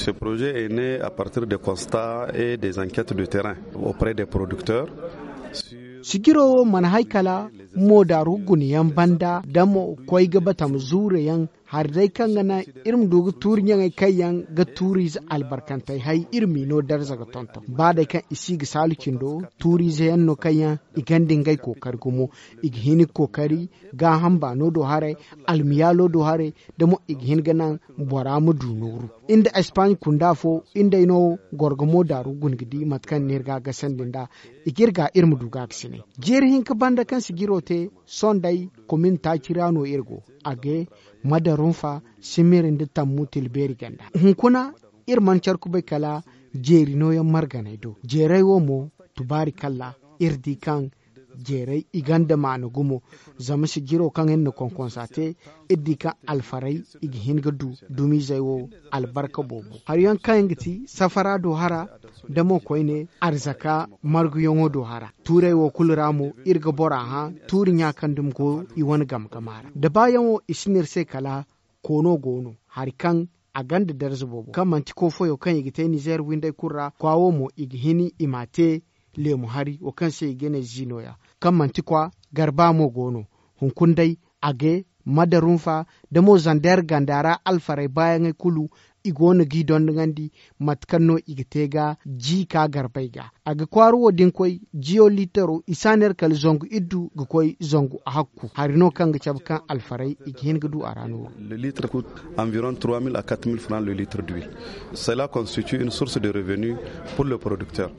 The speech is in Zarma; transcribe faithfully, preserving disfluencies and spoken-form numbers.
Ce projet est né à partir de constats et des enquêtes de terrain auprès des producteurs. Sijiro wo mana hay kala mo daaru guna yaŋ banda da mo koy ga batama zuure yaŋ hari day kaŋ ga naŋ iri ma du ga tuuri ɲaŋey kaŋ yaŋ ga tuuriize albarkantey hay iri m'i no darza ga tonton ba day kaŋ i si ga saalu cindo tuuriize yaŋ no kaŋ yaŋ i ganda ngey kookari gumo i ga hin ga kookari gaaham baano do haray almiyaalo do haray da mo i ga hin ga naŋ bora ma du nooru. Nda espaaɲ kunda fo nda ay no gorgamo daaru guna ga di mate kaŋ no iri ga a gasandi nd'a i ga iri ga iri ma du ga a ga sinay. Jeeri hinka banda kaŋ sijiro te sohõ day komin taaci ra no iri go a ga madarunfa simiri nda tammu tilbeeri ganda hunkuna iri mana care kubay kala jeeri nooyaŋ marganey do jeerey wo mo tubaari kalla iri di kaŋ jeerey i gonda maana gumo. Zama sijiro kaŋ iri na konkonsa te iri di kaŋ alfarey i ga hin ga du dumiizey wo albarka boobo hari yaŋ kaŋ yaŋ ga ti safara do hara da mo koyne arzaka marguyaŋo do hara tuurey wo kulu ra mo iri ga bora hã tuuri ɲa kaŋ dumi go i wane game gama ra da baayaŋo i si no iri se kala koono go no hari kaŋ a gonda darza boobo kaŋ manti koofoyo kaŋ i ga te nizeer windey kulu ra kwaawo mo i ga hin i m'a te leemu hari wo kaŋ se i ga ne ziinoya kaŋ manti kwa garba mo go no. Hunkuna day a ga madarunfa da mo zandeer ganda ra alfarey baayaŋey kulu i go no g'i dondonandi mate kaŋ no i ga te ga ji ka garbey ga a ga kwaara wo da ni koy jiyo liitaro i si a ne iri kala zangu iddu ga koy zangu hakku hari no kaŋ ga cabe kaŋ alfarey i ga hin ga du a ra nooru. Le litre coûte environ trois mille à quatre mille francs le litre d'huile. Cela constitue une source de revenu pour le producteur.